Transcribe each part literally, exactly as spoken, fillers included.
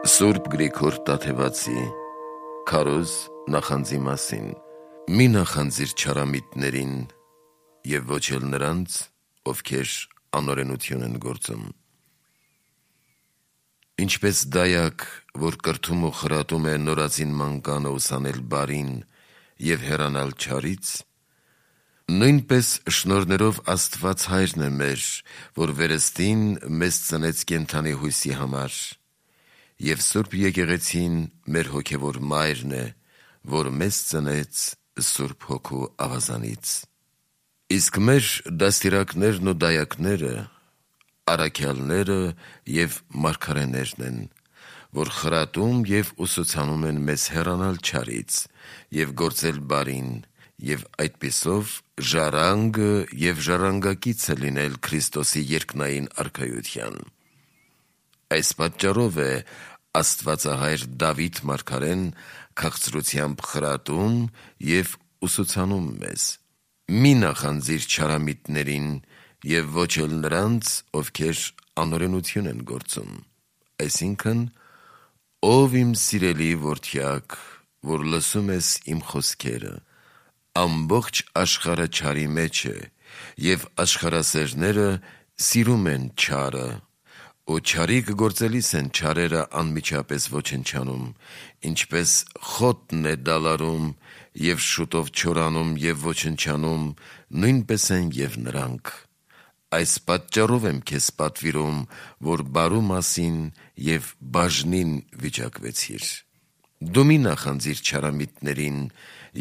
Սուրբ Գրիգոր Տաթևացի քարոզ նախանձի մասին։ Մի նախանձիր չարամիտներին և ոչ էլ նրանց, ովքեր անօրենություն են գործում։ Ինչպես դայակ, որ կրթում ու խրատում է նորածին մանկանը ուսանել բարին և հեռանալ չարից, նույնպես շնորհներով Աստված Հայրն է մեր, որ վերստին մեզ ծնեց կենդանի հույսի համար, և Սուրբ Եկեղեցին մեր հոգևոր Մայրն է, որ մեզ ծնեց Սուրբ Հոգու ավազանից։ Իսկ մեր դաստիարակներն ու դայակները առաքյալները և մարգարեներն են, որ խրատում և ուսուցանում են մեզ հեռանալ չարից և գործել բարին, և այդպիսով ժառանգը և ժառանգակիցը լինել Քրիստոսի երկնային արքայության։ Այս պատճառով է Աստվածահայր Դավիթ մարգարեն քաղցրությամբ խրատում և ուսուցանում մեզ. «Մի նախանձիր չարամիտներին և ոչ էլ նրանց, ովքեր անօրենություն են գործում»։ Այսինքն, ով իմ սիրելի որդյակ, որ լսում ես իմ խոսքերը, ամբողջ աշխարհը չարի մեջ է, և աշխարհասերները սիրում են չարը, ու չարիք գործելիս են չարերը անմիջապես ոչնչանում, ինչպես խոտն է դալարում և շուտով չորանում և ոչնչանում, նույնպես են և նրանք։ Այս պատճառով եմ քեզ պատվիրում, որ բարու մասին և բաժնին վիճակվեցիր։ Դու մի նախանձիր չարամիտներին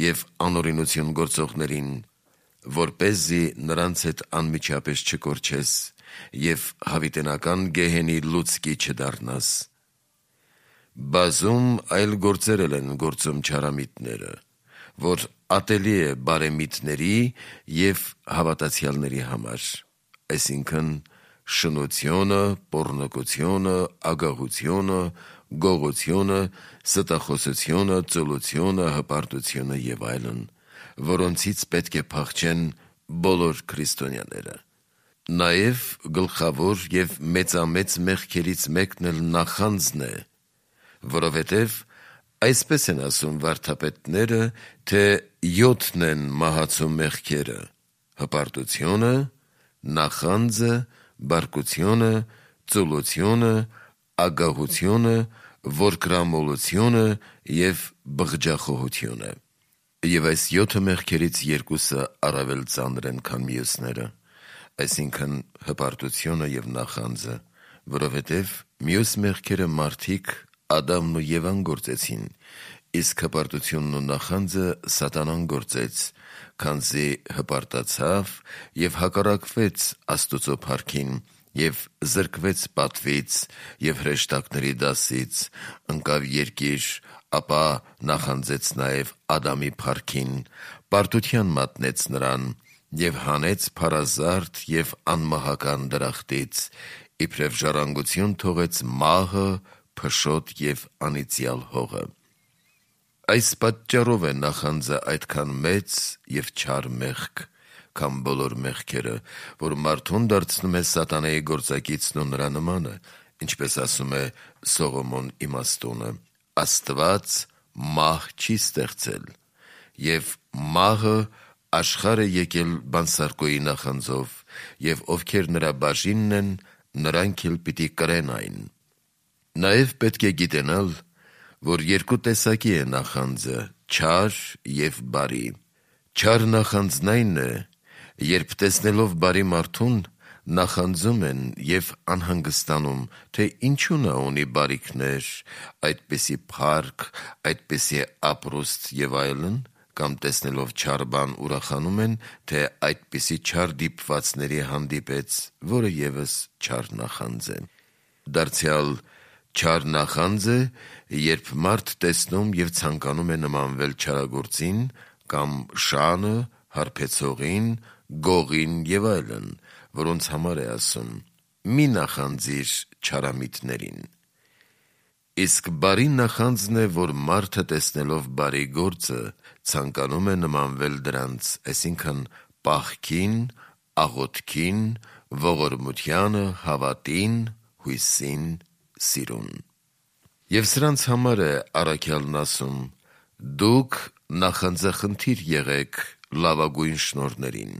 և անօրենություն գործողներին, որպեսզի նրանց հետ անմիջապես չկորչես և հավիտենական գեհենի լուցկի չդառնաս։ Բազում այլ գործեր էլ են գործում չարամիտները, որ ատելի է բարեմիտների և հավատացյալների համար, այսինքն՝ շնությունը, պոռնկությունը, ագահությունը, գողությունը, ստախոսությունը, ծուլությունը, հպարտությունը և այլն, որոնցից պետք է փախչեն բոլոր քրիստոնյաները։ Նաև գլխավոր և մեծամեծ մեղքերից մեկն էլ նախանձն է, որովհետև այսպես են ասում վարդապետները, թե յոթն են մահացու մեղքերը՝ հպարտությունը, նախանձը, բարկությունը, ծուլությունը, ագահությունը, որկրամոլությունը և բղջախոհությունը։ Եվ այս յոթը մեղքերից երկուսը առավել ծանր են, քան մյուսները, այսինքն՝ հպարտությունը և նախանձը, որովհետև մյուս մեղքերը մարդիկ Ադամն ու Եվան գործեցին, իսկ հպարտությունն ու նախանձը սատանան գործեց, քանզի հպարտացավ և հակառակվեց Աստուծո փառքին և զրկվեց պատվից և հրեշտակների դասից, ընկավ երկիր, ապա նախանձեց նաև Ադամի փառքին, պարտության մատնեց նրան և հանեց փարազարդ և անմահական դրախտից, իբրև ժառանգություն թողեց մահը, փշոտ և անիծյալ հողը։ Այս պատճառով է նախանձը այդքան մեծ և չար մեղք, քան բոլոր մեղքերը, որ մարդուն դարձնում է սատանայի գործակիցն ու նրա նմանը, ինչպես ասում է Սողոմոն իմաստունը. «Աստված մահ չի ստեղծել, և մահը աշխարհ է եկել բանսարկոյի նախանձով, և ովքեր նրա բաժինն են, նրանք էլ պիտի կրեն այն»։ Նաև պետք է գիտենալ, որ երկու տեսակի է նախանձը՝ չար և բարի։ Չար նախանձն այն է, երբ տեսնելով բարի մարդուն, նախանձում են և անհանգստանում, թե ինչու նա ունի բարիքներ, այդպիսի փառք, այդպիսի ապրուստ և այլն, կամ տեսնելով չար բան ուրախանում են, թե այդպիսի չար դիպվածների հանդիպեց, որը ևս չար նախանձ է։ Դարձյալ չար նախանձ է, երբ մարդ տեսնում և ցանկանում է նմանվել չարագործին կամ շանը, հարբեցողին, գողին և այլն, որոնց համար է ասում. «Մի նախանձիր չարամիտներին»։ Իսկ բարի նախանձն է, որ մարդը տեսնելով բարի գործը, ցանկանում է նմանվել դրանց, այսինքն՝ պահքին, աղոթքին, ողորմությանը, հավատին, հույսին, սիրուն։ Եվ սրանց համար է առաքյալն ասում. «Դուք նախանձախնդիր եղեք լավագույն շնորհներին»։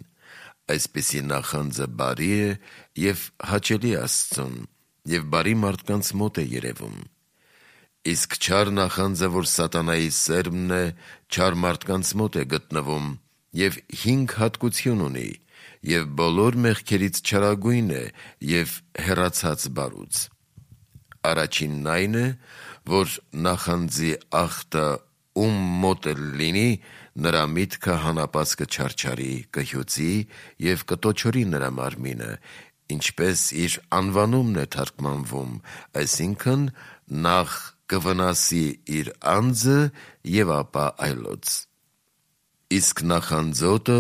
Այսպիսի նախանձը բարի է և հաճելի Աստծուն, և բարի մարդկանց մոտ է երևում։ Իսկ չար նախանձը, որ սատանայի սերմն է, չար մարդկանց մոտ է գտնվում և հինգ հատկություն ունի, և բոլոր մեղքերից չարագույն է և հեռացած բարուց։ Առաջինն այն է, որ նախանձի ախտը ում մոտ էլ լինի, նրա միտքը հանապած կչարչարի, կհյուծի և կտոչորի նրա մարմինը, ինչպես իր անվանումն է թարգմանվում, այսինքն՝ նախ կվնասի իր անձը և ապա այլոց։ Իսկ նախանձոտը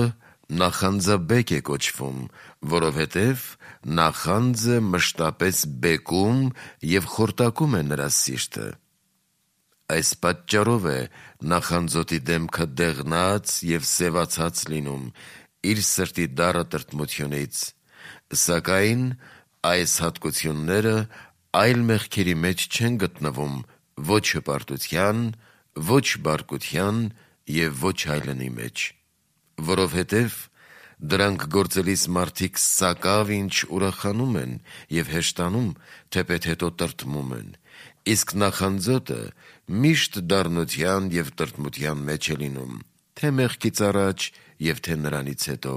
նախանձաբեկ է կոչվում, որովհետև նախանձը մշտապես բեկում և խորտակում է նրա սիրտը։ Այս պատճառով է նախանձոտի դեմքը դեղնած և սևացած լինում իր սրտի դառը տրտմությունից, սակայն այս հատկությունները այլ մեղքերի մեջ չեն գտնվում ոչ հպարտության, ոչ բարկության և ոչ այլնի մեջ, որովհետև դրանք գործելիս մարդիկ սակավ ինչ ուրախանում են և հեշտանում, թեպետ հետո տրտմում են, իսկ նախանձոտը միշտ դառնության և տրտմության մեջ է լինում, թե մեղքից առաջ և թե նրանից հետո,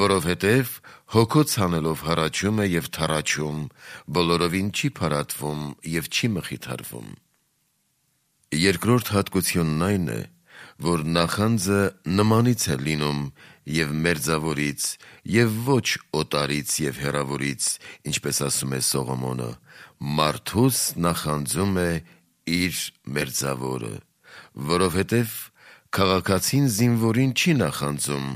որովհետև հոգոց հանելով հառաչում է և թառաչում, բոլորովին չի փարատվում և չի մխիթարվում։ Երկրորդ հատկությունն այն է, որ նախանձը նմանից է լինում և մերձավորից և ոչ օտարից և հեռավորից, ինչպես ասում է Սողոմոնը. «Մարդուս նախանձում է իր մերձավորը, որովհետև քաղաքացին զինվորին չի նախանձում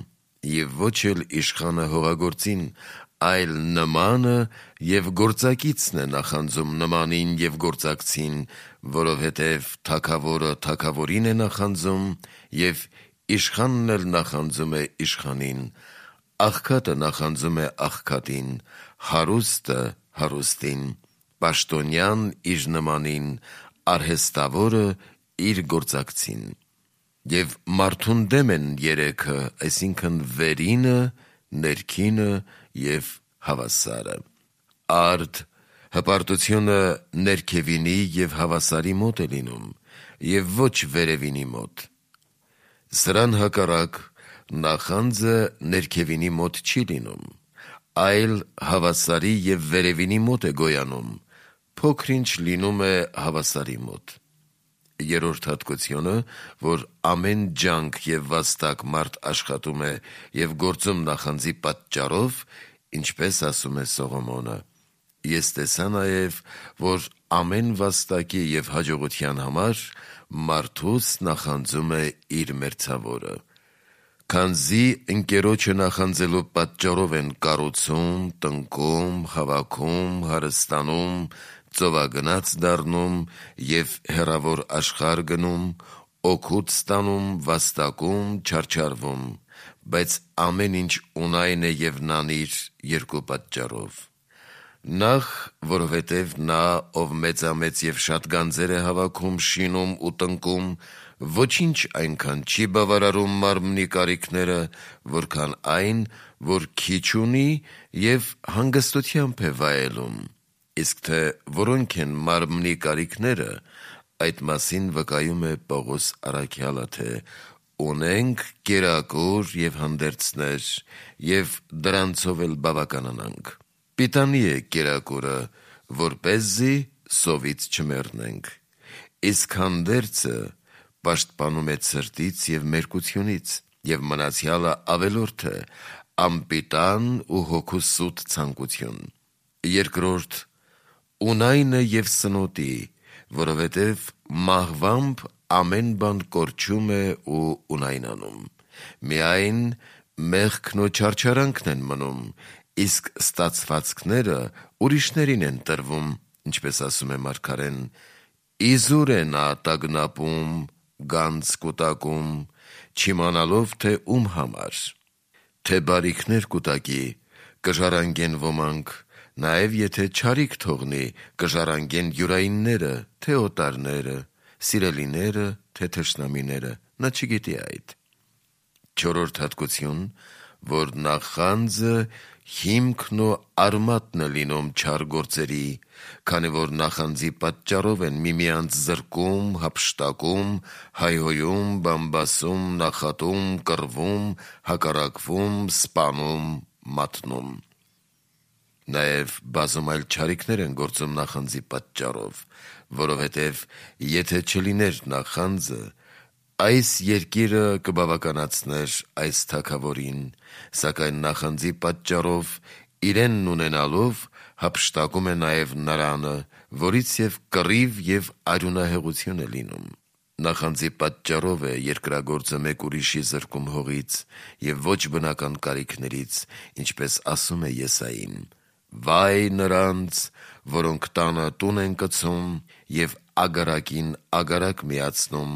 և ոչ էլ իշխանը հողագործին, այլ նմանը և գործակիցն է նախանձում նմանին և գործակցին, որովհետև թագավորը թագավորին է նախանձում և իշխանն էլ նախանձում է իշխանին, աղքատը նախանձում է աղքատին, հարուստը հարուստին, պաշտոնյան իր նմանին, արհեստավորը իր գործակցին։ Եվ մարդուն դեմ են երեքը, այսինքն՝ վերինը, ներքինը և հավասարը։ Արդ հպարտությունը ներքևինի և հավասարի մոտ է լինում և ոչ վերևինի մոտ։ Սրան հակառակ, նախանձը ներքևինի մոտ չի լինում, այլ հավասարի և վերևինի մոտ է գոյանում, փոքր-ինչ լինում է հավասարի մոտ։ Երրորդ հատկությունը, որ ամեն ջանք և վաստակ մարդ աշխատում է և գործում նախանձի պատճառով, ինչպես ասում է Սողոմոնը. «Ես տեսա նաև, որ ամեն վաստակի և հաջողության համար մարդուս նախանձում է իր մերձավորը»։ Քանզի ընկերոջը նախանձելու պատճառով են կառուցում, տնկում, հավաքում, հարստանում, ծովագնաց դառնում և հեռավոր աշխարհ գնում, օգուտ ստանում, վաստակում, չարչարվում, բայց ամեն ինչ ունայն է և նանիր երկու պատճառով. Նախ, որովհետև նա, ով մեծամեծ և շատ գանձեր է հավաքում, շինում ու տնկում, ոչինչ այնքան չի բավարարում մարմնի կարիքները, որքան այն, որ քիչ ունի և հանգստությամբ է վայելում, իսկ թե որոնք են մարմնի կարիքները, այդ մասին վկայում է Պողոս առաքյալը, թե «ունենք կերակուր և հանդերձներ և դրանցով էլ բավականանանք»։ Պիտանի է կերակուրը, որպեսզի սովից չմեռնենք, իսկ հանդերձը պաշտպանում է ցրտից և մերկությունից, և մնացյալը ավելորդ է, անպիտան ու հոգու սուտ ցանկություն։ Երկրորդ, ունայնը և սնոտի, որովհետև մահվամբ ամեն բան կորչում է ու ունայնանում, միայն մեղքն ու չարչարանքն են մնում, իսկ ստացվածքները ուրիշներին են տրվում, ինչպես ասում է մարգարեն. «Իզուր է նա տագնապում, գանձ կուտակում, չիմանալով, թե ում համար»։ Թե բարիքներ կուտակի, կժառանգեն ոմանք, Նաև եթե չարիք թողնի, կժառանգեն յուրայինները, թե օտարները, սիրելիները, թե թշնամիները, նա չգիտի այդ։ Չորրորդ հատկություն, որ նախանձը հիմքն ու արմատն է լինում չար գործերի, քանի որ նախանձի պատճառով են միմյանց զրկում, հափշտակում, հայհոյում, բամբասում, նախատում, կռվում, հակառակվում, սպանում, մատնում։ Նաև բազում այլ չարիքներ են գործում նախանձի պատճառով, որովհետև եթե չլիներ նախանձը, այս երկիրը կբավականացներ այս թագավորին, սակայն նախանձի պատճառով իրենն ունենալով հափշտակում է նաև նրանը, որից և կռիվ և արյունահեղություն է լինում։ Նախանձի պատճառով է երկրագործը մեկ ուրիշի զրկում հողից և ոչ բնական կարիքներից, ինչպես ասում է Եսային. «Վայ նրանց, որոնք տանը տուն են կցում և ագարակին ագարակ միացնում,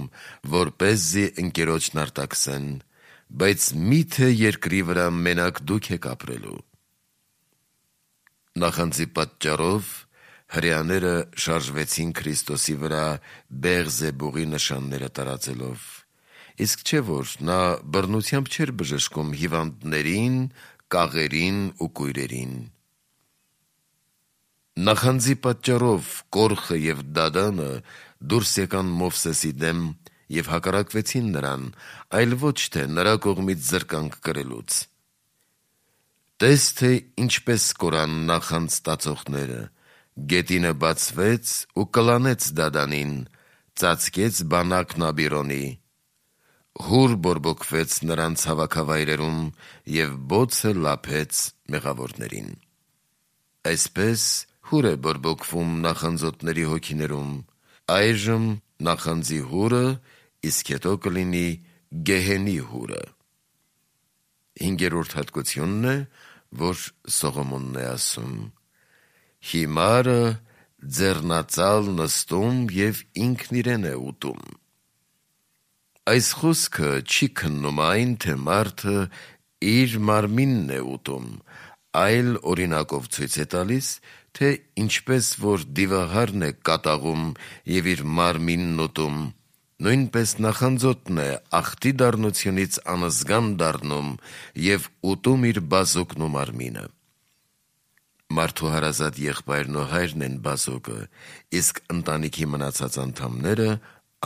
որպեսզի ընկերոջն արտաքսեն, բայց մի՞թե երկրի վրա մենակ դուք եք ապրելու»։ Նախանձի պատճառով հրեաները շարժվեցին Քրիստոսի վրա Բեղզեբուղի նշանները տարածելով, իսկ չէ՞ որ նա բռնությամբ չէր բժշկում հիվանդներին, կաղերին ու կույրերին։ Նախանձի պատճառով Կորխը և Դադանը դուրս եկան Մովսեսի դեմ և հակառակվեցին նրան, այլ ոչ թե նրա կողմից զրկանք կրելուց։ Տես, թե ինչպես կորան նախանձ տածողները. գետինը բացվեց ու կլանեց Դադանին, ծածկեց բանակն Աբիրոնի, հուր բորբոքվեց նրանց հավաքավայրերում և բոցը լափեց մեղավորներին։ Այսպես հուր է բորբոքվում նախանձոտների հոգիներում, այժմ նախանձի հուրը, իսկ հետո կլինի գեհենի հուրը։ Հինգերորդ հատկությունն է, որ Սողոմոնն է ասում. «Հիմարը ձեռնածալ նստում և ինքն իրեն է ուտում»։ Այս խոսքը չի քննում այն, թե մարդը իր մարմինն է ուտում, այլ օրինակով ցույց է տալիս, թե ինչպես որ դիվահարն է կատաղում և իր մարմինն ուտում, նույնպես նախանձոտն է աղտի դառնությունից անզգան դառնում և ուտում իր բազուկն ու մարմինը։ Մարդու հարազատ եղբայրն ու հայրն են բազուկը, իսկ ընտանիքի մնացած անդամները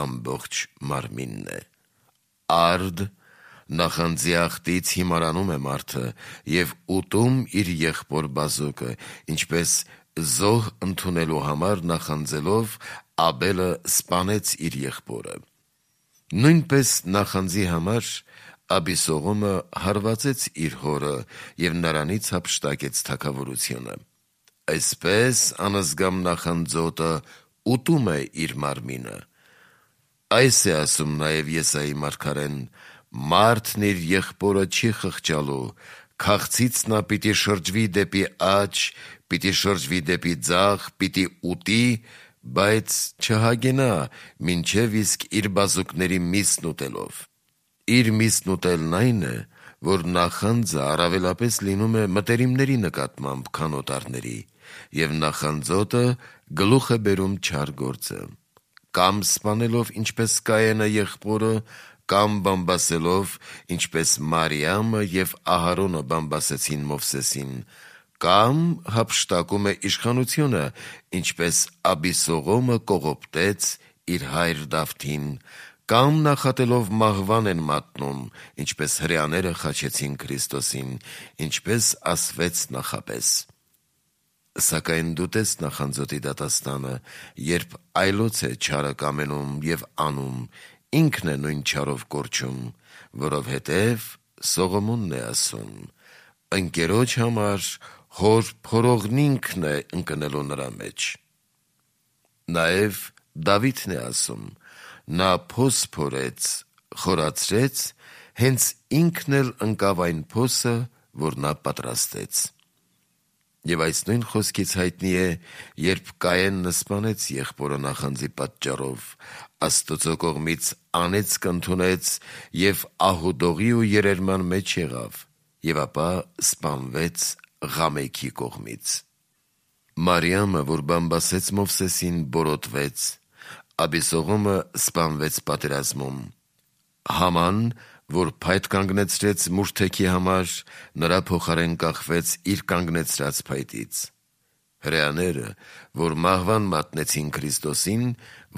ամբողջ մարմինն է։ Արդ նախանձի աղտից հիմարանում է մարդը և ուտում իր եղբոր բազուկը, ինչպես զոհ ընդունելու համար նախանձելով Աբելը սպանեց իր եղբորը։ Նույնպես նախանձի համար Աբիսողոմը հարվածեց իր հորը և նրանից հափշտակեց թագավորությունը։ Այսպես անզգամ նախանձոտը ուտում է իր մարմինը։ Այս է ասում նաև Եսայի մարգարեն. «Մարդն իր եղբորը չի խղճալու, քաղցից նա պիտի շրջվի դեպի աջ, պիտի շրջվի դեպի ձախ, պիտի ուտի, բայց չհագենա, մինչև իսկ իր բազուկների միսն ուտելով»։ Իր միսն ուտելն այն է, որ նախանձը առավելապես լինում է մտերիմների նկատմամբ, քան օտարների, և նախանձոտը գլուխ է բերում չար գործը, կամ սպանելով ինչպես Կայենը եղբորը, կամ բամբասելով ինչպես Մարիամը և Ահարոնը բամբասեցին Մովսեսին, կամ հափշտակում է իշխանությունը, ինչպես Աբիսողոմը կողոպտեց իր հայր Դավթին, կամ նախատելով մահվան են մատնում, ինչպես հրեաները խաչեցին Քրիստոսին, ինչպես ասվեց նախապես։ Սակայն դու տես նախանձոտի դատաստանը, երբ այլոց է չարը կամենում և անում, ինքն է նույն չարով կորչում, որովհետև Սողոմոնն է ասում. «Ընկերոջ համար հոր փորողնինքն է ընկնելու նրա մեջ»։ Նաև Դավիթն է ասում. «Նա փոս փորեց, խորացրեց, հենց ինքն էլ ընկավ այն փոսը, որ նա պատրաստեց»։ Եվ այս նույն խոսքից հայտնի է, երբ Կայենը սպանեց եղբորը նախանձի պատճառով, Աստծո կողմից անեծք ընդունեց և ահուդողի ու երերման մեջ եղավ, և ապա սպանվեց Ղամեքի կողմից։ Մարիամը, որ բամբասեց Մովսեսին, բորոտվեց, Աբիսողոմը սպանվեց պատերազմում, Haman, որ փայտ կանգնեցրեց մուրթեքի համար, նրա փոխարեն կախվեց իր կանգնեցրած փայտից։ Հրեաները, որ մահվան մատնեցին Քրիստոսին,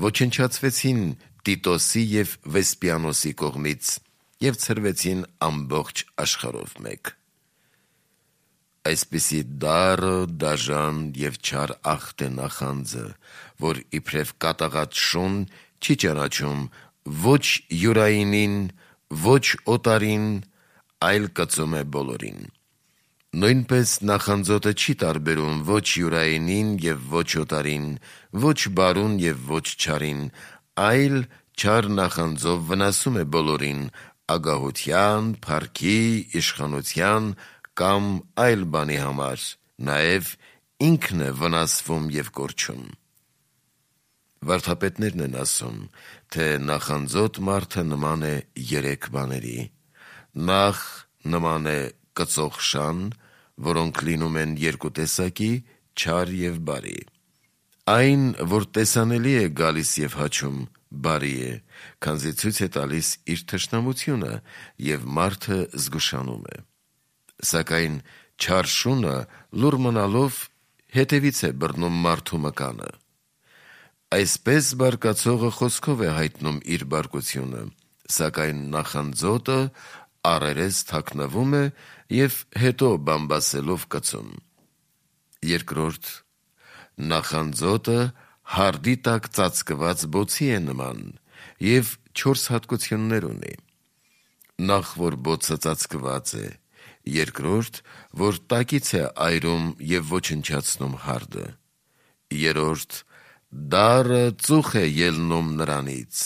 ոչնչացվեցին Տիտոսի և Վեսպիանոսի կողմից և ցրվեցին ամբողջ աշխարհով մեկ։ Այսպիսի դառը, դաժան և չար ախտ է նախանձը, որ իբրև կատաղած շուն չի ճանաչում ոչ յուրայինին, ոչ օտարին, այլ կծում է բոլորին։ Նույնպես նախանձոտը չի տարբերում ոչ յուրայինին և ոչ օտարին, ոչ բարուն և ոչ չարին, այլ չար նախանձով վնասում է բոլորին, ագահության, փառքի, իշխանության կամ այլ բանի համար, նաև ինքն է վնասվում և կորչում։ Վարդապետներն են ասում, թե նախանձոտ մարդը նման է երեք բաների. նախ նման է կծող շան, որոնք լինում են երկու տեսակի, չար և բարի։ Այն, որ տեսանելի է գալիս և հաչում, բարի է, քանզի ցույց է տալիս իր թշնամությունը և մարդը զգուշանում է։ Սակայն չար շունը լուռ մնալով հետևից է բռնում մարդու մկանը։ Այսպես բարկացողը խոսքով է հայտնում իր բարկությունը, սակայն նախանձոտը առերես թաքնվում է և հետո բամբասելով կծում։ Երկրորդ, նախանձոտը հարդի տակ ծածկված բոցի է նման և չորս հատկություններ ունի. նախ, որ բոցը ծածկված է, երկրորդ, որ տակից է այրում և ոչնչացնում հարդը, երրորդ, դառը ծուխ է ելնում նրանից,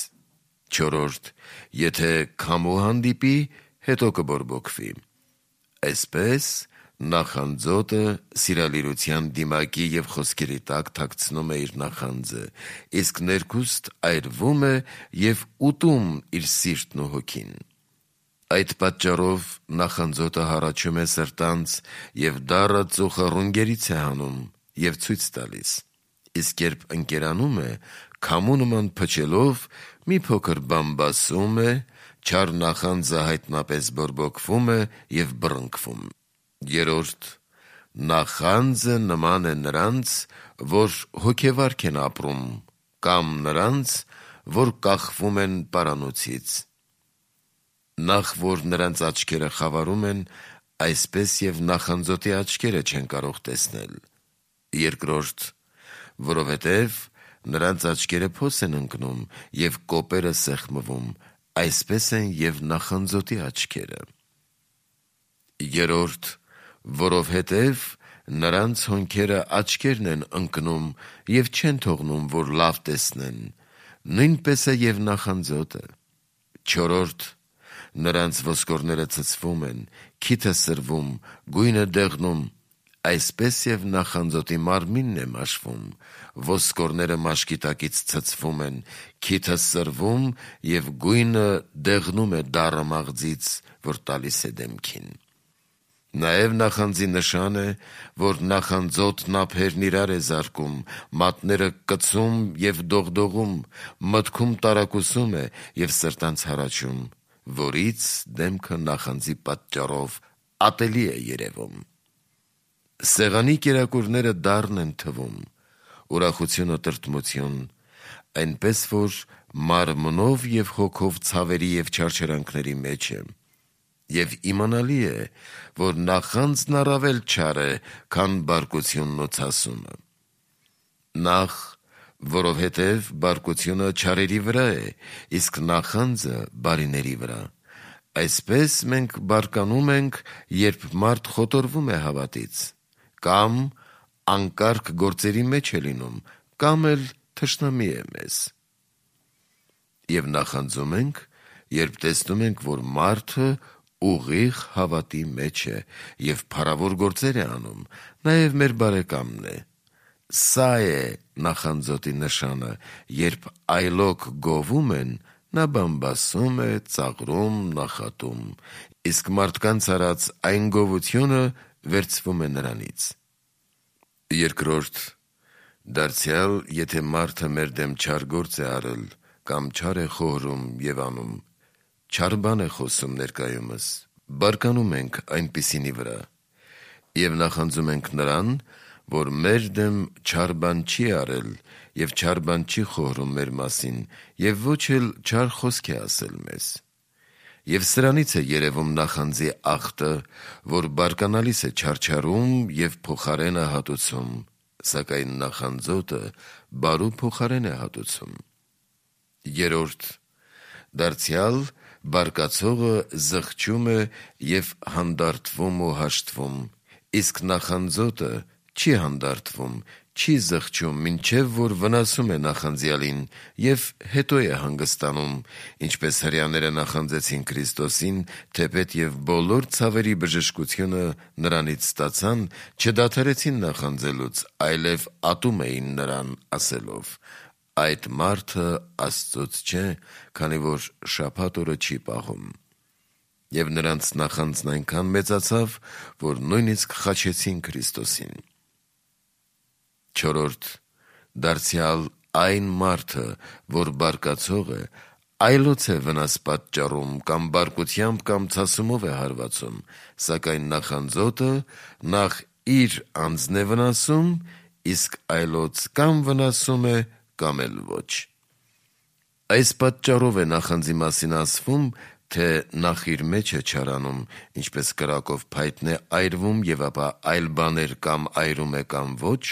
չորրորդ, եթե քամու հանդիպի, հետո կբորբոքվի։ Այսպես նախանձոտը սիրալիրության դիմակի և խոսքերի տակ թաքցնում է իր նախանձը, իսկ ներքուստ այրվում է և ուտում իր սիրտն ու հոգին։ Այդ պատճառով նախանձոտը հառաչում է սրտանց և դառը ծուխը ռունգերից է հանում և ցույց տալիս, իսկ երբ ընկերանում է, քամու նման փչելով, մի փոքր բամբասում է, չար նախանձը հայտնապես բորբոքվում է և բռնկվում։ Երրորդ, նախանձը նման է նրանց, որ հոգեվարք են ապրում, կամ նրանց, որ կախվում են պարանոցից։ Նախ, որ նրանց աչքերը խավարում են, այսպես և նախանձոտի աչքերը չեն կարող տեսնել։ Երկրորդ, որովհետև նրանց աչքերը փոս են ընկնում և կոպերը սեղմվում, այսպես են և նախանձոտի աչքերը։ Երրորդ, որովհետև նրանց հոնքերը աչքերն են ընկնում և չեն թողնում, որ լավ տեսնեն, նույնպես է և նախանձոտը։ Չորրորդ, նրանց ոսկորները ցցվում են, քիթը սրվում, գույնը դեղնում, այսպես և նախանձոտի մարմինն է մաշվում, ոսկորները մաշկի տակից ցցվում են, քիթը սրվում և գույնը դեղնում է դառը մաղձից, որ տալիս է դեմքին։ Նաև նախանձի նշան է, որ նախանձոտն ափերն իրար է զարկում, մատները կծում և դողդողում, մտքում տարակուսում է և սրտանց հառաչում, որից դեմքը նախանձի պատճառով ատելի է երևում։ Սեղանի կերակուրները դառն են թվում, ուրախությունը տրտմություն, այնպես որ մարմնով և հոգով ցավերի և չարչարանքների մեջ է, և իմանալի է, որ նախանձն առավել չար է, քան բարկությունն ու ցասումը։ Նախ, որովհետև բարկությունը չարերի վրա է, իսկ նախանձը բարիների վրա։ Այսպես մենք բարկանում ենք, երբ մարդ խոտորվում է հավատից, կամ անկարգ գործերի մեջ է լինում, կամ էլ թշնամի է մեզ։ Եվ նախանձում ենք, երբ տեսնում ենք, որ մարդը ուղիղ հավատի մեջ է և փառավոր գործեր է անում, նաև մեր բարեկամն է։ Սա է նախանձոտի նշանը, երբ այլոք գովում են, նա բամբասում է, ծաղրում, նախատում, իսկ մարդկանց արած այն գովությունը վերցվում է նրանից։ Երկրորդ, դարձյալ եթե մարդը մեր դեմ չար գործ է արել կամ չար է խոհրում եւ անում, չար բան է խոսում ներկայումս, բարկանում ենք այնպիսինի վրա եւ նախանձում ենք նրան, որ մեր դեմ չար բան չի արել եւ չար բան չի խոհրում մեր մասին եւ ոչ էլ չար խոսք է ասել մեզ։ Եվ սրանից է երևում նախանձի ախտը, որ բարկանալիս է չարչարում եւ փոխարեն է հատուցում, սակայն նախանձոտը բարու փոխարեն է հատուցում։ Երորդ, դարձյալ բարկացողը զղջում է եւ հանդարտվում ու հաշտվում, իսկ նախանձոտը չի հանդարտվում, չի զղջում, մինչև որ վնասում է նախանձյալին եւ հետո է հանգստանում, ինչպես հրեաները նախանձեցին Քրիստոսին, թեպետ եւ բոլոր ցավերի բժշկությունը նրանից ստացան, չդադարեցին նախանձելուց, այլև ատում էին նրան, ասելով. այդ մարդը Աստծոց չէ, քանի որ շաբաթ օրը չի պահում։ Եվ նրանց նախանձն այնքան մեծացավ, որ նույնիսկ խաչեցին Քրիստոսին։ Չորրորդ, դարձյալ այն մարդը, որ բարկացող է, այլոց է վնաս պատճառում կամ բարկությամբ կամ ցասումով է հարվածում, սակայն նախանձոտը նախ իր անձն է վնասում, իսկ այլոց կամ վնասում է, կամ էլ ոչ։ Այս պատճառով է նախանձի մասին ասվում, թե նախ իր մեջ է չարանում, ինչպես կրակով փայտն է այրվում եւ ապա այլ բաներ կամ այրում է կամ ոչ,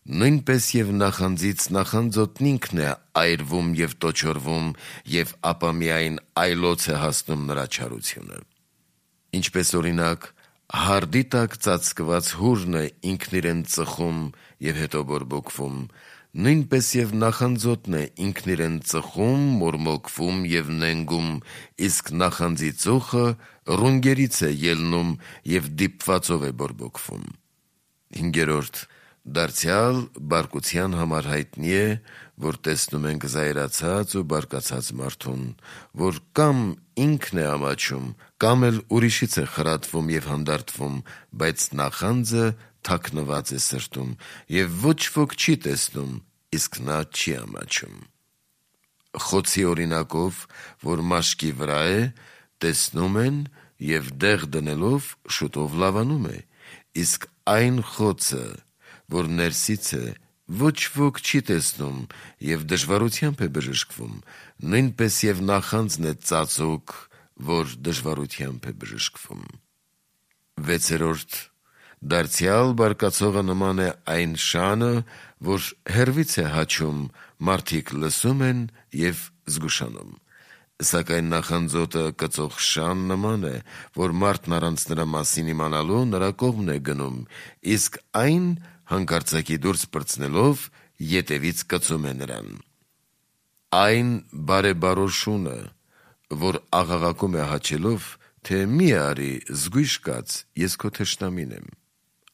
նույնպես եւ նախանձից նախանձոտն ինքն է այրվում եւ տոչորվում եւ ապա միայն այլոց է հասնում նրա չարությունը։ Ինչպես օրինակ հարդի տակ ծածկված հուրն է ինքն իրեն ծխում եւ հետո բորբոքվում, նույնպես եւ նախանձոտն է ինքն իրեն ծխում, մորմոքվում եւ նենգում, իսկ նախանձի ծուխը ռունգերից է ելնում եւ դիպվածով է բորբոքվում։ Հինգերորդ, դարձյալ բարկության համար հայտնի է, որ տեսնում ենք զայրացած ու բարկացած մարդուն, որ կամ ինքն է ամաչում, կամ էլ ուրիշից է խրատվում եւ հանդարտվում, բայց նախանձը թաքնված է սրտում եւ ոչ ոք չի տեսնում, իսկ նա չի ամաչում։ Խոցի օրինակով, որ մաշկի վրա է, տեսնում են եւ դեղ դնելով շուտով լավանում է, իսկ այն խոցը, որ ներսից է, ոչ ոք չի տեսնում եւ դժվարությամբ է բժշկվում, նույնպես եւ նախանձն է ծածուկ, որ դժվարությամբ է բժշկվում։ Վեցերորդ, դարձյալ բարկացողը նման է այն շանը, որ հեռվից է հաչում, մարդիկ լսում են եւ զգուշանում։ Սակայն նախանձոտը կծող շան նման է, որ մարդն առանց նրա մասին իմանալու նրա կողմն է գնում, իսկ այն հանկարծակի դուրս պրծնելով ետևից կծում է նրան։ Այն բարեբարոշունը, որ աղաղակում է հաչելով, թե մի արի, զգույշ կաց, ես քո թշնամին եմ։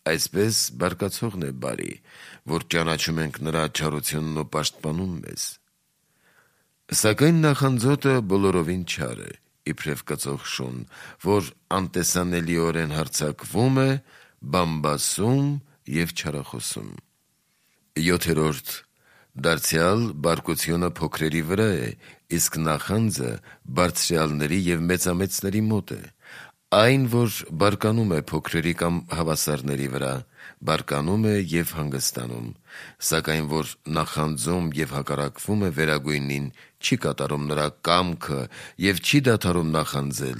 Այսպես բարկացողն է բարի, որ ճանաչում ենք նրա չարությունն ու պաշտպանում մեզ։ Սակայն նախանձոտը բոլորովին չար է, իբրև կծող շուն, որ անտեսանելիորեն հարձակվում է, բամբասում եւ չարախոսում։ Յոթերորդ, դարձյալ բարկությունը փոքրերի վրա է, իսկ նախանձը բարձրյալների եւ մեծամեծների մոտ է։ Այն, որ բարկանում է փոքրերի կամ հավասարների վրա, բարկանում է եւ հանգստանում, սակայն որ նախանձում եւ հակառակվում է վերագույնին, չի կատարում նրա կամքը եւ չի դադարում նախանձել,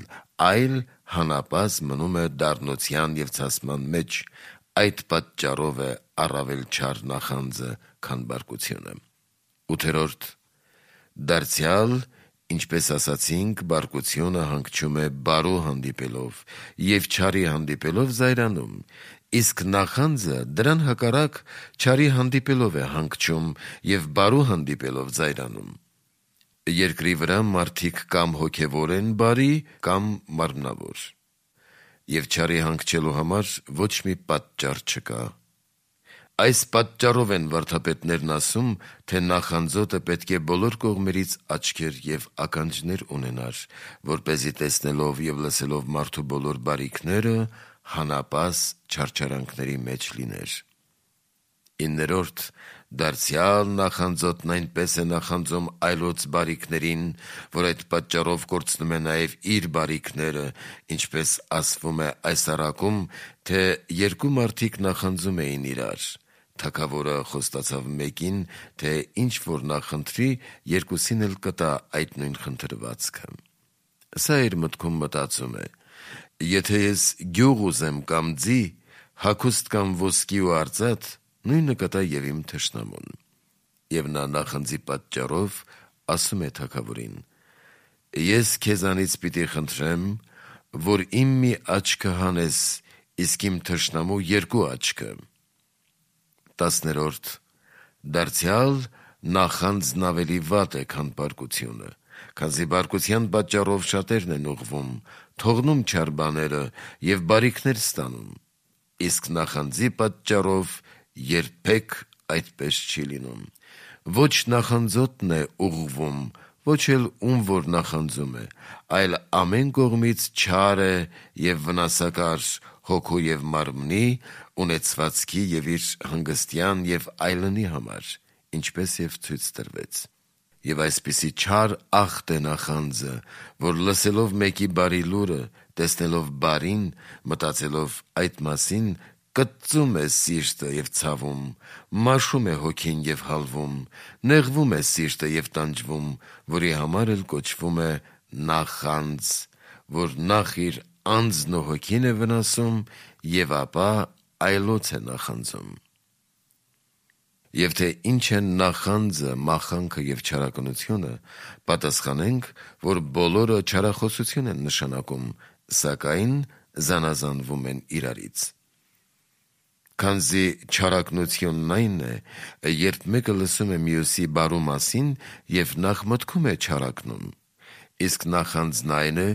այլ հանապազ մնում է դառնության եւ ցասման մեջ, այդ պատճառով է առավել չար նախանձը, քան բարկությունը։ Ութերորդ, դարձյալ ինչպես ասացինք, բարկությունը հանգչում է բարու հանդիպելով եւ չարի հանդիպելով զայրանում, իսկ նախանձը դրան հակառակ չարի հանդիպելով է հանգչում եւ բարու հանդիպելով զայրանում։ Երկրի վրա մարդիկ կամ հոգևոր են բարի, կամ մարմնավոր, եւ չարի հանգչելու համար ոչ մի պատճառ չկա։ Այս պատճառով են վարդապետներն ասում, թե նախանձոտը պետք է բոլոր կողմերից աչքեր եւ ականջներ ունենար, որպեսզի տեսնելով եւ լսելով մարդու բոլոր բարիքները հանապազ չարչարանքների մեջ լիներ։ Իններորդ դարձյալ նախանձոտն այնպես է նախանձում այլոց բարիքներին, որ այդ պատճառով կորցնում է նաև իր բարիքները, ինչպես ասվում է այս առակում, թե երկու մարդիկ նախանձում էին իրար. թագավորը խոստացավ մեկին, թե ինչ որ նա խնդրի, երկուսին էլ կտա այդ նույն խնդրվածքը։ Սա իր մտքում մտածում է. եթե ես գյուղ ուզեմ կամ ձի, հագուստ կամ ոսկի ու արծաթ, նույնը կտա եւ իմ թշնամուն։ Եվ նա նախանձի պատճառով ասում է թագավորին. ես քեզանից պիտի խնդրեմ, որ իմ մի աչքը հանես, իսկ իմ թշնամու երկու աչքը։ Տասներորդ դարձյալ նախանձն ավելի վատ է, քան բարկությունը, քանզի բարկության պատճառով շատերն են ուղղվում, թողնում չար բաները եւ բարիքներ ստանում, իսկ նախանձի պատճառով երբեք այդպես չի լինում։ Ոչ նախանձոտն է ուղղվում, ոչ էլ ում որ նախանձում է, այլ ամեն կողմից չար է եւ վնասակար հոգու եւ մարմնի, ունեցվածքի եւ իր հանգստյան եւ այլնի համար, ինչպես եւ ցույց տրվեց։ Եվ այսպիսի չար ախտ է նախանձը, որ լսելով մեկի բարի լուրը, տեսնելով բարին, մտածելով այդ մասին, կծում է սիրտը եւ ցավում, մաշում է հոգին եւ հալվում, նեղվում է սիրտը եւ տանջվում, որի համար էլ կոչվում է նախանձ, որ նախ իր անձն ու հոգին է վնասում եւ ապա այլոց է նախանձում։ Եվ թե ինչ են նախանձը, մախանքը եւ չարականությունը, պատասխանենք, որ բոլորը չարախոսություն են նշանակում, սակայն զանազանվում են իրարից։ Քանզի չարակնությունն այն է, երբ մեկը լսում է մյուսի բարու մասին եւ նախ մտքում է չարակնում, իսկ նախանձն այն է,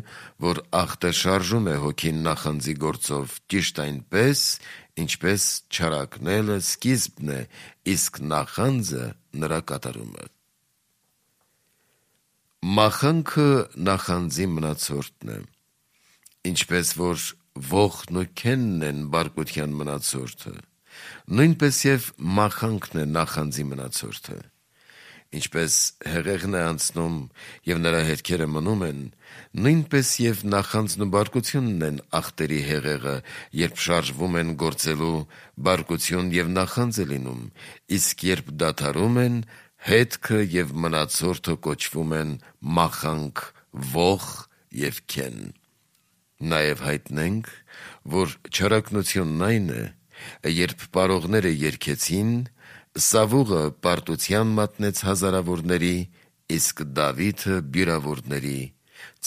որ ախտը շարժում է հոգին նախանձի գործով ճիշտ այնպես, ինչպես չարակնելը սկիզբն է, իսկ նախանձը նրա կատարումը։ Մախանքը նախանձի մնացորդն է, ինչպես որ ողն ու քենն են բարկության մնացորդը, նույնպես եւ մախանքն է նախանձի մնացորդը։ Ինչպես հեղեղն է անցնում եւ նրա հետքերը մնում են, նույնպես եւ նախանձն ու բարկությունն են ախտերի հեղեղը, երբ շարժվում են գործելու, բարկություն եւ նախանձ է լինում, իսկ երբ դադարում են, հետքը եւ մնացորդը կոչվում են մախանք, ող եւ քեն։ Նաեւ հայտնենք, որ չարակնությունն այն է, երբ պարողները երգեցին, Սավուղը պարտության մատնեց հազարավորների, իսկ Դավիթը բյուրավորների,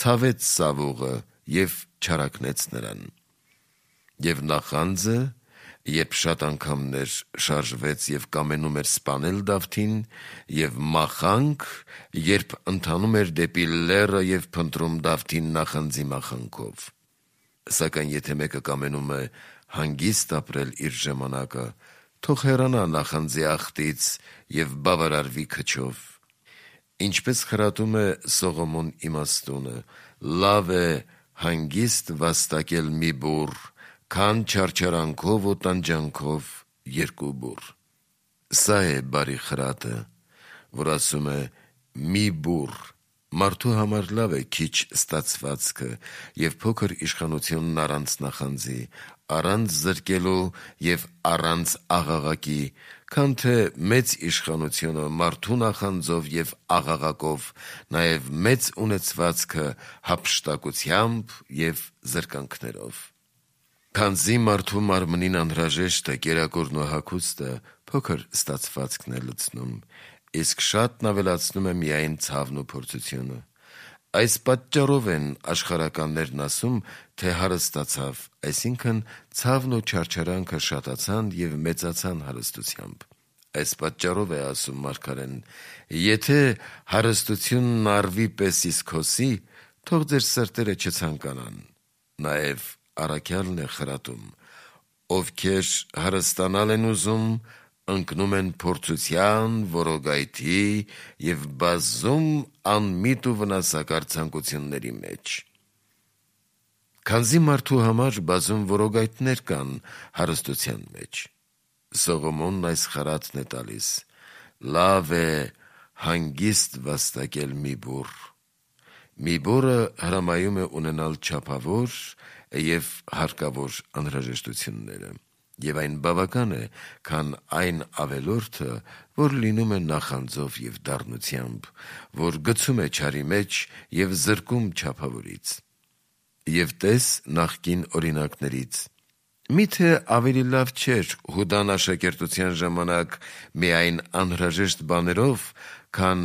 ցավեց Սավուղը եւ չարակնեց նրան։ Եվ նախանձը, երբ շատ անգամներ շարժվեց եւ կամենում էր սպանել Դավթին, եւ մախանք, երբ ընթանում էր դեպի լեռը եւ փնտրում Դավթին նախանձի մախանքով։ Սակայն եթե մեկը կամենում է հանգիստ ապրել իր ժամանակը, թող հեռանա նախանձի ախտից եւ բավարարվի քչով։ Ինչպես խրատում է Սողոմոն իմաստունը, լավ է հանգիստ վաստակել մի բուռ, քան չարչարանքով ու տանջանքով երկու բուռ։ Սա է բարի խրատը, որ ասում է մի բուռ, մարդու համար լավ է քիչ ստացվածքը եւ փոքր իշխանությունն առանց նախանձի, առանց զրկելու եւ առանց աղաղակի, քան թե մեծ իշխանությունը մարդու նախանձով եւ աղաղակով, նաեւ մեծ ունեցվածքը հափշտակությամբ եւ զրկանքներով։ Քանզի մարդու մարմնին անհրաժեշտ է կերակուրն ու հագուստը, փոքր ստացվածքն է լցնում, իսկ շատն ավելացնում է միայն ցավն ու փորձությունը։ Այս պատճառով են աշխարհականներն ասում, թե հարստացավ, այսինքն ցավն ու չարչարանքը շատացան եւ մեծացան հարստությամբ։ Այս պատճառով է ասում մարգարեն. եթե հարստությունն արվի պես իսկ հոսի, թող ձեր սրտերը չցանկանան։ Նաեւ առաքյալն է խրատում. ովքեր հարստանալ են ուզում, ընկնում են փորձության, որոգայթի եւ բազում անմիտ ու վնասակար ցանկությունների մեջ։ Քանզի մարդու համար բազում որոգայթներ կան հարստության մեջ, Սողոմոնն այս խրատն է տալիս. լավ է հանգիստ վաստակել մի բուռ։ Մի բուռը հրամայում է ունենալ չափավոր և հարկավոր անհրաժեշտությունները, և այն բավական է, քան այն ավելորդը, որ լինում է նախանձով և դառնությամբ, որ գցում է չարի մեջ և զրկում չափավորից։ Եվ տես նախկին օրինակներից. միթե ավելի լավ չէր Հուդան աշակերտության ժամանակ միայն անհրաժեշտ բաներով, քան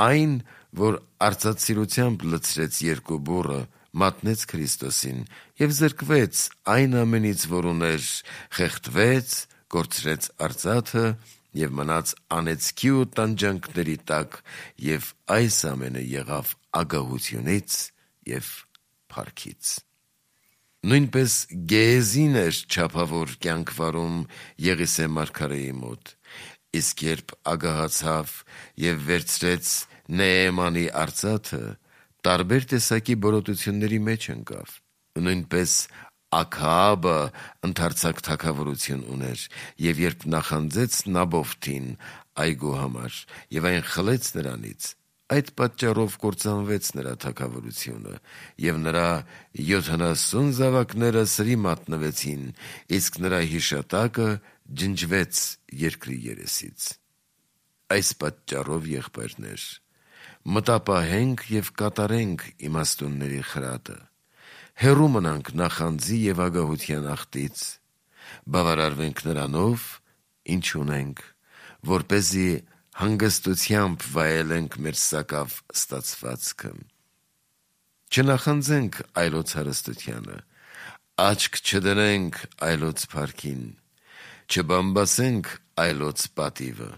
այն, որ արծաթսիրությամբ լցրեց երկու բուռը, մատնեց Քրիստոսին և զրկվեց այն ամենից, որ ուներ, խեղդվեց, կորցրեց արծաթը և մնաց անեծքի ու տանջանքների տակ, և այս ամենը եղավ ագահությունից և փառքից։ Նույնպես Գեհեզին էր չափավոր կյանք վարում Եղիսե մարգարեի մոտ, իսկ երբ ագահացավ և վերցրեց Նեեմանի արծաթը, տարբեր տեսակի բորոտությունների մեջ ընկավ։ Նույնպես Աքաաբը ընդարձակ թագավորություն ուներ, և երբ նախանձեց Նաբովթին այգու համար և այն խլեց նրանից, այդ պատճառով կործանվեց նրա թագավորությունը, և նրա յոթանասուն զավակները սրի մատնվեցին, իսկ նրա հիշատակը ջնջվեց երկրի երեսից։ Այս պատճառով, եղբայրներ, մտապահենք և կատարենք իմաստունների խրատը, հեռու մնանք նախանձի և ագահության աղտից, բավարարվենք նրանով, ինչ ունենք, որպեսզի հանգստությամբ վայելենք մեր սակավ ստացվածքը։ Չնախանձենք այլոց հարստությանը, աչք չդնենք այլոց փառքին, չբամբասենք այլոց պատիվը,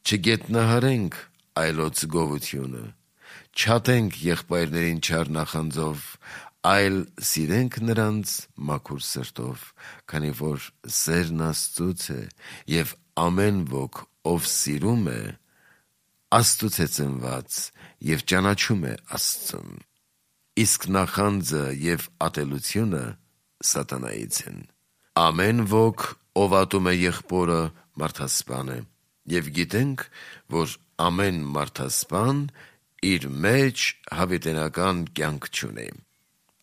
չգետնահարենք այլոց գովությունը, չատենք եղբայրներին չար նախանձով, այլ սիրենք նրանց մաքուր սրտով, քանի որ սերն Աստծուց է, և ամեն ոք, ով սիրում է, Աստծուց է ծնված և ճանաչում է Աստծուն։ Իսկ նախանձը և ատելությունը սատանայից են։ Ամեն ոք, ով ատում է եղբորը, մարդասպան է, և գիտենք, որ ամեն մարդասպան իր մեջ հավիտենական կյանք չունի։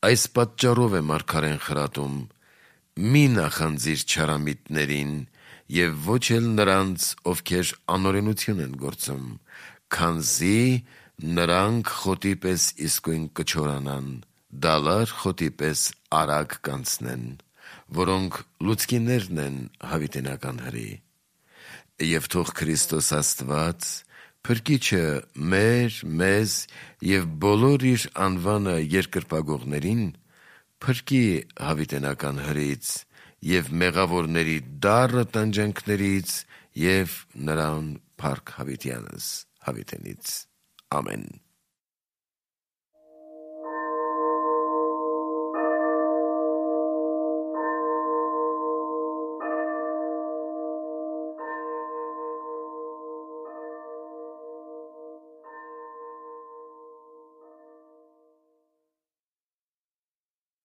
Այս պատճառով է մարգարեն խրատում. «Մի նախանձիր չարամիտներին և ոչ էլ նրանց, ովքեր անօրենություն են գործում, քանզի նրանք խոտի պես իսկույն կչորանան, դալար խոտի պես արագ կանցնեն, որոնք լուցկիներն են հավիտենական հրի։ Եվ թող Քրիստոս Աստված, Փրկիչը մեր, մեզ և բոլոր իր անվանը երկրպագողներին, փրկի հավիտենական հրից և մեղավորների դառը տանջանքներից և նրան փառք հավիտյանս հավիտենից։ Ամեն»։